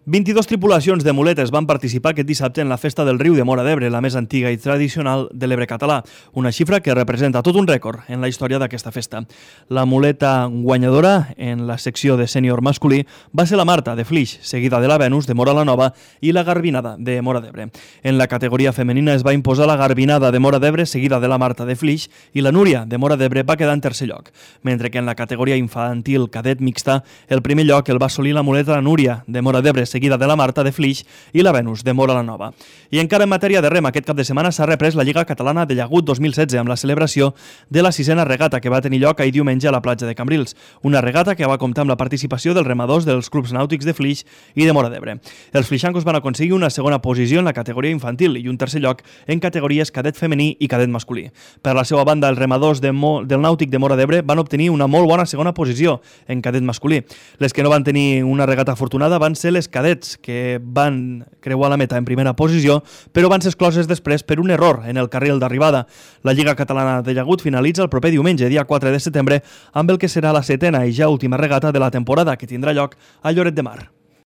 22 tripulacions de muletes van participar aquest dissabte en la Festa del Riu de Móra d'Ebre, la més antiga i tradicional de l'Ebre català, una xifra que representa tot un rècord en la història d'aquesta festa. La muleta guanyadora en la secció de sènior masculí va ser la Marta de Flix, seguida de la Venus de Móra la Nova i la Garbinada de Móra d'Ebre. En la categoria femenina es va imposar la Garbinada de Móra d'Ebre, seguida de la Marta de Flix, i la Núria de Móra d'Ebre va quedar en tercer lloc, mentre que en la categoria infantil cadet mixta el primer lloc el va assolir la muleta Núria de Móra d'Ebre, seguida de la Marta de Flix i la Venus de Móra la Nova. I encara en matèria de rem, aquest cap de setmana s'ha reprès la Lliga Catalana de Llagut 2016 amb la celebració de la 6a regata que va tenir lloc ahir diumenge a la platja de Cambrils, una regata que va comptar amb la participació dels remadors dels clubs nàutics de Flix i de Móra d'Ebre. Els flixancos van aconseguir una segona posició en la categoria infantil i un tercer lloc en categories cadet femení i cadet masculí. Per la seva banda, els remadors del nàutic de Móra d'Ebre van obtenir una molt bona segona posició en cadet masculí. Les que no van tenir una regata afortunada van ser les cadets, que van creuar la meta en primera posició, però van ser excloses després per un error en el carril d'arribada. La Lliga Catalana de Llagut finalitza el proper diumenge, dia 4 de setembre, amb el que serà la 7a i ja última regata de la temporada, que tindrà lloc a Lloret de Mar.